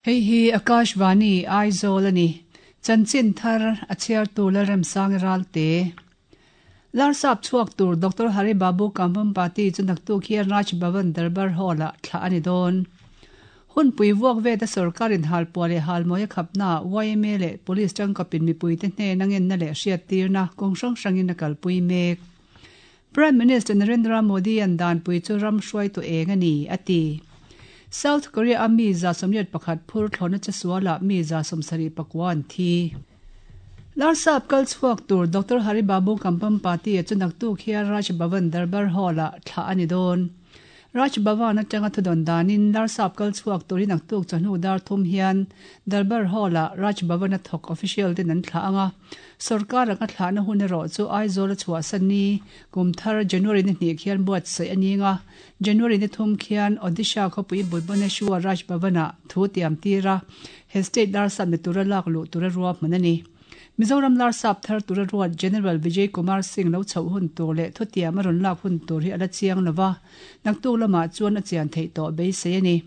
Hei hi Akashvani, Aizawl a ni. Chanchin thar a chhiartu Lalremsangi Ralte. Larsap chhuak tur Doctor Hari Babu Kambhampati chu naktuk hian Raj Bhavan Darbar Hall-ah thlah a ni dawn. Hunpui vuak veta sorkarin halpuah leh halmawi a khapnaah yma leh Police tangkapin mipuite hnena ngenna leh hriattirna kawng hrang hrangin a kalpui mek. Prime Minister Narendra Modi-a'n danpui chu ram hruaitu eng a ni, a ti. South Korea-a mi 181 phur thlawhna chesualah mi 74 an thi. Larsap kal chhuak tur Doctor Hari Babu Kampampati-a chu naktuk hian Raj Bhavan Darbar Hall-ah thlah a ni dawn. Raj Bhavan atanga thudawn danin Larsap kal chhuak tur hi naktuk chawhnu dar thum hian Darbar Hall-ah Raj Bhavan-a thawk official ten an thlah ang a. Sorkar anga thlahna hun erawh chu Aizawl a chhuahsan ni kum thar January ni hnih khian buatsaih a ning a, January ni thum khian Odisha khawpui Bhubaneswar Raj Bhavan-ah thu tiam tir a, he state Larsap ni tura lak luh tura ruahman a ni. Mizoram Larsap thar tura ruat General Vijay Kumar Singh lo chhoh hun tur leh thutiam a rawn lak hun tur hi a la chiang lo va, naktuk lamah chuan a chian theih tawh beisei a ni.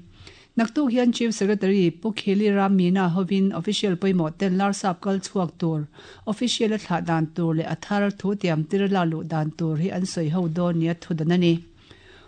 Naktuk hian Chief Secretary Pu Khili Ram Meena hovin official pawimawh ten Larsap kal chhuak tur, official a thlah dan tur leh a thar thu tiam tir a lak luh dan tur hi an sawi ho dawn nia thudan a ni.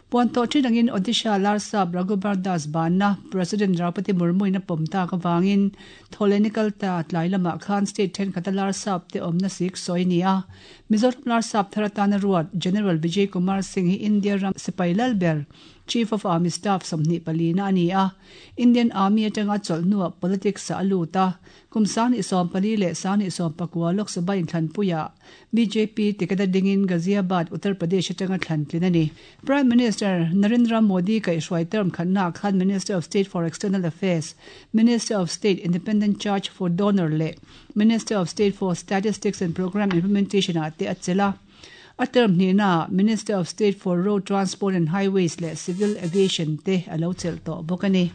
Puan tawh thin angin Odisha Larsap Raghubar Das banna President Draupadi Murmu-in a pawm tak avangin Thawhlehni kalta tlai lamah khan state thenkhat a Larsap te awmna sik sawi a ni a. Mizoram Larsap thar atana ruat General Vijay Kumar Singh hi India ram sipai lal ber Chief of Army Staff 24 na a ni a, Indian Army atanga chawlh hnuah politics ah a lut a, kum 2014 leh 2019 Lok Sabha inthlanpuiah bjp ticket a dingin Ghaziabad, Uttar Pradesh atanga thlan tlin a ni. Prime Minister Narendra Modi kaihhruai term khatnaah khan Minister of State for External Affairs, Minister of State Independent Charge for Donor leh Minister of State for Statistics and Programme Implementation ah te a chelh a. A term hnihnaah Minister of State for Road Transport and Highways leh Civil Aviation te a lo chelh tawh bawk a ni.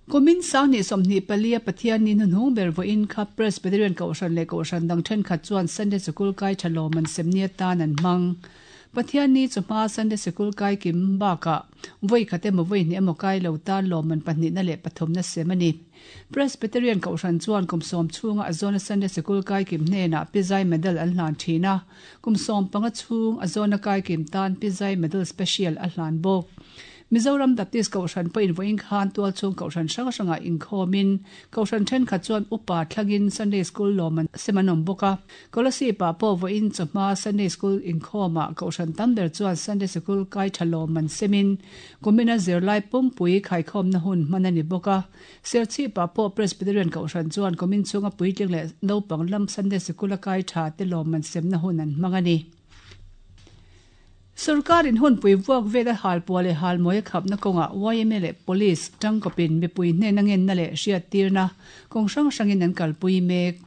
Kumin 2024 a Pathianni hnuhnung ber vawiin kha Presbyterian Kohhran leh Kohhran dang thenkhat chuan Sunday Sikul kai tha lawm an semni atan an hmang. Pathianni chu hma Sunday Sikul kai kim bakah vawi khat emaw vawi hnih emaw kai lo tan lawmman pahnihna leh pathumna sem a ni. Presbyterian Kohhran chuan kum sawm chhunga a zawna Sunday Sikul kaikim hnenah Pizai Medal an hlan thin a, kum 15 chhung a zawna kaikim tan Pizai Medal Special a hlan bawk. Mizoram Baptist Kohhran pawhin vawiin khan tualchhung Kohhran hrang hrangah inkhawmin Kohhran thenkhat chuan upa thlangin Sunday School lawm an sem an awm bawk a. Kolasib-ah pawh vawiin chawhma Sunday School inkhawmah Kohhran tam ber chuan Sunday Sikul kai tha lawm an semin kumina zirlai pumpui khaikhawmna hun hman a ni bawk a. Serchhip-ah pawh Presbyterian Kohhran chuan kumin chhunga puitling leh naupang lam Sunday Sikula kai tha te lawm an semna hun an hmang a ni. Sorkarin hunpui vuak vela halpuah leh halmawi a khapna kawngah yma leh Police tangkawpin mipui hnena ngenna leh hriattirna kawng hrang hrangin an kalpui mek.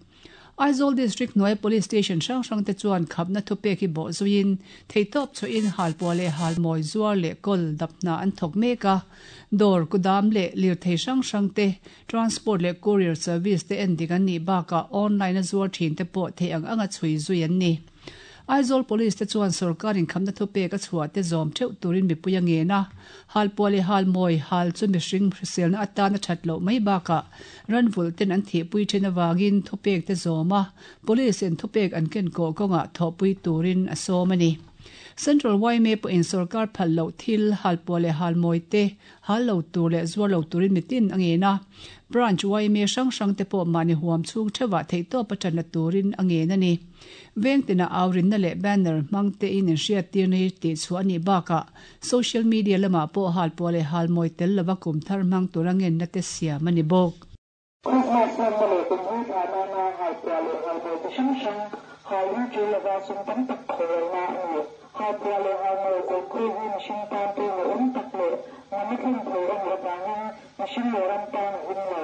Aizawl District hnuaia Police Station hrang hrang te chuan khapna thupek hi bawh zuiin theihtawp chhuahin halpuah leh halmawi zuar leh kawl dap hna an thawk mek a. Dawr, kudam leh lirthei hrang hrang te, transport leh courier service te endik an nih bakah online a zuar thin te pawh theih ang anga chhui zui an ni. Aizawl Police te chuan sorkar inkhamna thupek a chhuah te zawm theuh turin mipui a ngen a, halpuah leh halmawi hal chu mihring hriselna atan a that loh mai bakah ranvulh ten an thihpui then avangin thupek te zawm a, Police in thupek an ken kawh kawngah thawhpui turin a sawm a ni. Central yma pawhin sorkar phal loh thil halpuah leh halmawi te hal lo tur leh zuar lo turin mitin a ngen a, Branch yma hrang hrang te pawh mahni huam chhung theuhah theihtawp a tanna turin a ngen a ni. Veng tinah aurinna leh banner hmang tein inhriattirna hi tihchhuah a nih bakah social media lamah pawh halpuah leh halmawi tel lova kum thar hmang tura ngenna te siam a ni bawk. Krismas hmanna leh kum hlui phah nana halpuah leh halmawi chi hrang hrang hal hi tul lova sum tam tak khawrelna a ni. Halpuah leh halmawi kawlkhawi hi mihring tan pawimawh awm tak leh nunna thlen thei a nih avangin mihring leh ram tan a him lo.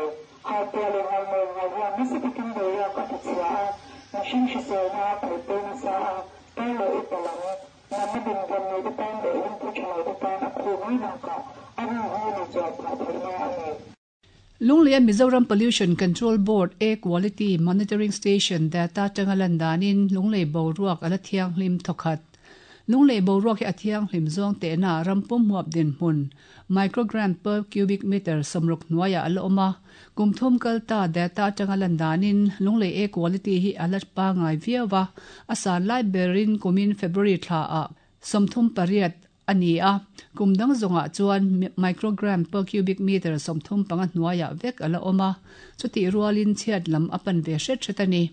Halpuah leh halmawi hal hian nasa takin boruak a tichhia a, mihring hriselna a khawih nasa a, tar leh upa lam, natna dinhmun neite tan leh lungphu tha lote tan a khu mai bakah a rin hi ni chuan phah theihna a ni. Lungleia Mizoram Pollution Control Board Air Quality Monitoring Station data atanga lan danin Lunglei boruak a la thianghlim thawkhat. Lunglei boruak hi a thianghlim zawng tehna ram pum huap dinhmun, microgram per cubic meter, 60 hnuaiah a la awm a. Kum thum kal ta data atanga lan danin Lunglei air quality hi a la pangai viau a, a san lai berin kumin February thlaah 38 a ni a, kum dang zawngah chuan microgram per cubic meter 35 hnuaiah vek a la awm a, chutih rualin chhiat lam a pan ve hret hret a ni.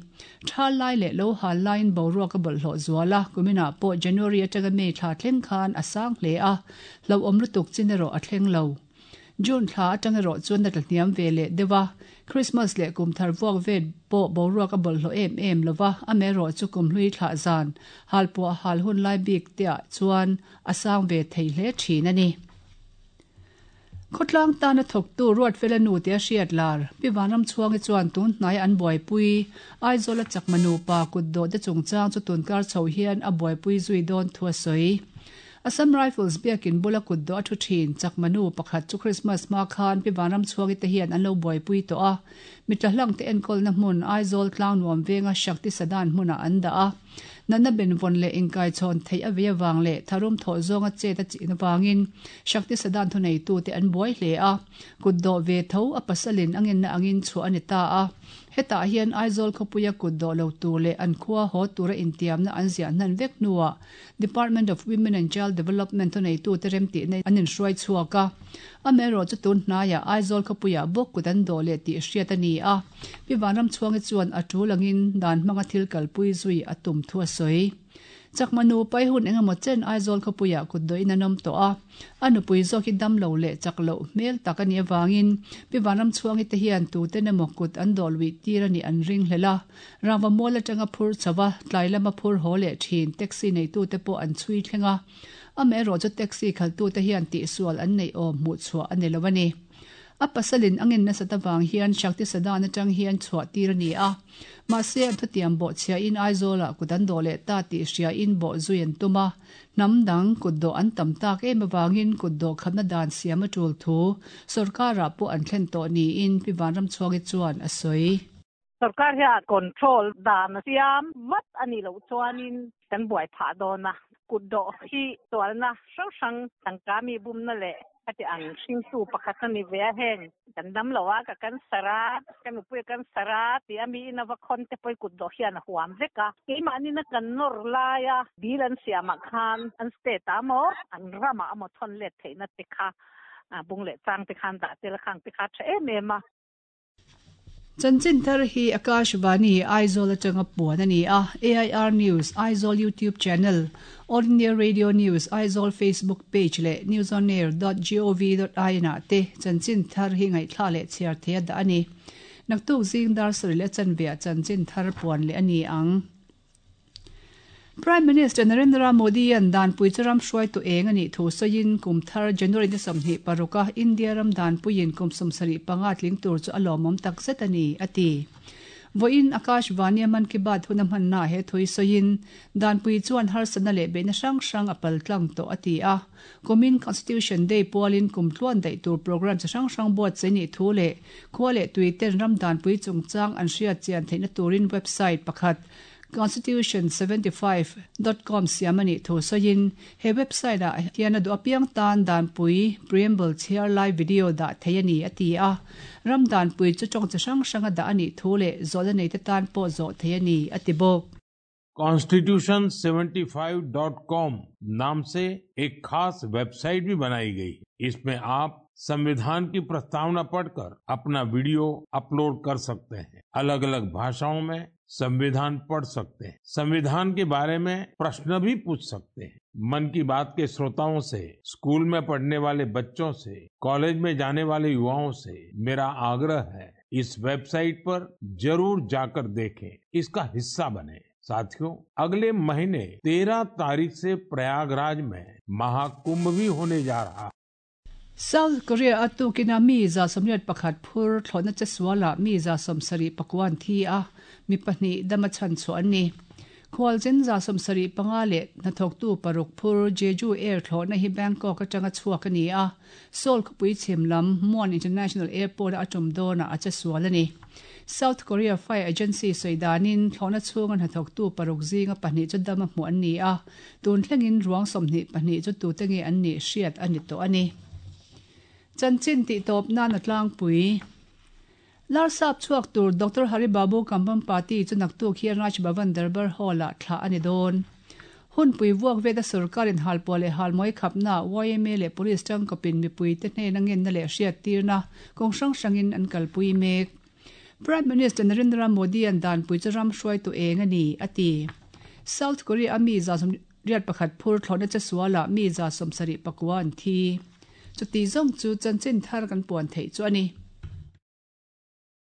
Thal lai leh lo hal laiin boruak a bawlhhlawh zual a, kuminah pawh January atanga May thla thleng khan a sang hle a, hlauhawm lutuk chin erawh a thleng lo. June thla atang erawh chuan a tla hniam ve leh deuh a, Christmas leh kum thar vuak vet pawh boruak a bawlhhlawh em em lo va, amaherawh chu kum hlui thlah zan, halpuah hal hun lai bik te ah chuan a sang ve thei hle thin a ni. Khawtlang tana thawktu Ruatfela nu tia hriat lar, Pi Vanramchhuangi chuan tun hnaia an buaipui Aizawla chakma nupa kutdawh te chungchang chu tunkar chho hian a buaipui zui dawn thu a sawi. Assam Rifles biakin bula kutdawh a thu thin Chakma nu pakhat chu Christmas hma khan Pi Vanramchhuangi te hian an lo buaipui tawh a, mitla hlang te enkawlna hmun Aizawl Tlangnuam venga Shakti Sadan hmunah an dah a. Natna benvawn leh inkaichhawn theih a vei avang leh tharum thawh zawnga chet a chin avangin Shakti Sadan thuneitute an buai hle a, kutdawh ve tho a pasalin a ngenna angin chhuah a ni ta a. Hetah hian Aizawl khawpuia kutdawh lo tur leh an khua haw tura intiamna an ziah hnan vek hnuah Department of Women and Child Development thuneitute remtihna an inhruai chhuak a. Amaherawh chu tun hnaiah Aizawl khawpuiah bawk kut an dawh leh tih hriat a ni a. Pi Vanramchhuangi chuan a tul angin dan hmanga thil kalpui zui a tum thu a sawi. Chakma nu pai hun engemaw chen Aizawl khawpuiah kut dawhin an awm tawh a. A nupui zawk hi dam lo leh chak loh hmel tak a nih avangin Pi Vanramchhuangi te hian tuten emaw kut an dawh luih tir a nih an ringhlel a. Rangva mual atanga phur chho a, tlai lama phur haw leh thin taxi neitute pawh an chhui thleng a. Amaherawh chu taxi khaltute hian tihsual an neih awm hmuh chhuah a ni lo a ni. A pasalin a ngen nasat avang hian Shakti Sadan atang hian chhuah tir a ni a. Mahse an thutiam bawh chhiahin Aizawlah kut an dawh leh ta tih hriain bawh zui an tum a. Hnam dang kut dawh an tam tak em avangin kut dawh khatna dan siam a tul thu sorkarah pawh an thlen tawh niin Pi Vanramchhuangi chuan a sawi. Sorkar hian control dan a siam vat a nih loh chuanin kan buai phah dawn a, kutdawh hi sualna hrang hrang tangka mi bumna leh heti ang hringtu pakhat a ni ve a, heng kan dam lo a, ka cancer a, ka nupui a cancer a tih a miin a va khawn te pawhin kutdawh hian a huam vek a, keimahnin a kan nawr laia bill an siamah khan an state ah emaw an ramah emaw thawn let theihna te kha bung leh chang te khan dah tel a khang te kha a tha em em a. Chanchin thar hi Akashvani, Aizawl atanga puan a ni a, AIR News, Aizawl YouTube channel, All India Radio News, Aizawl Facebook page leh newsonair dot gov dot in ah te chanchin thar hi ngaihthla leh chhiar thei a dah a ni. Naktuk zing dar sarih leh chanve ah chanchin thar puan leh a ni ang. Prime Minister Narendra Modi-a'n danpui chu ram hruaitu eng a nih thu sawiin kum thar January ni 26 a India ram danpuiin kum 75 tling tur chu a lawmawm tak zet a ni, a ti. Vawiin Akashvani-a Mann Ki Baat hun a hmannaah he thu hi sawiin danpui chuan harsatna leh beihna hrang hrang a paltlang tawh a ti a. Kumin Constitution Day pualin kum tluan daih tur programme chi hrang hrang buatsaih nih thu leh khua leh tuiten ram danpui chungchang an hriat chian theihna turin website pakhat Constitution 75 dot com siam a nih thu sawiin he website ah hian a duh apiang tan danpui preamble chhiar lai video dah thei a ni a ti a. Ram danpui chu tawng chi hrang hranga dah a nih thu leh zawhna neite tan pawh zawh thei a ni a ti bawk. Constitution 75 dot com नाम से एक खास website भी बनाई गई है। इसमें आप संविधान की प्रस्तावना पढ़कर अपना वीडियो अपलोड कर सकते हैं। अलग अलग भाषाओं में संविधान पढ़ सकते हैं, संविधान के बारे में प्रश्न भी पूछ सकते हैं। मन की बात के श्रोताओं से, स्कूल में पढ़ने वाले बच्चों से, कॉलेज में जाने वाले युवाओं से मेरा आग्रह है, इस वेबसाइट पर जरूर जाकर देखें, इसका हिस्सा बने। साथियों, अगले महीने 13 तारीख से प्रयागराज में महाकुंभ भी होने जा रहा है। South Korea a tukin a mi 181 phur thlawhna che sualah mi 79 an thi a, mi pahnih dama chhan chhuah an ni. Khualzin 75 leh hnathawktu paruk phur Jeju Air thlawhna hi Bangkok atanga chhuak a ni a, Seoul khawpui chhim lam Muan International Airport-a a tum dawnah a che sual a ni. South Korea Fire Agency sawi danin thlawhna chhunga hnathawktu paruk zinga pahnih chu dama hmuh an ni a, tun thlengin ruang 22 chu tute nge an nih hriat a ni tawh a ni. Chanchin tihtawp nan a tlangpui. Larsap chhuak tur Doctor Hari Babu Kambhampati chu naktuk hian Raj Bhavan Darbar Hall-ah thlah a ni dawn. Hunpui vuak veta sorkarin halpuah leh halmawi khapna yma leh Police tangkawpin mipuite hnena ngenna leh hriattirna kawng hrang hrangin an kalpui mek. Prime Minister Narendra Modi-a'n danpui chu ram hruaitu eng a ni, a ti. South Korea-a mi 181 phur thlawhna chesualah mi 74 an thi. Chuti zawng chu chanchin thar kan puan theih chu a ni.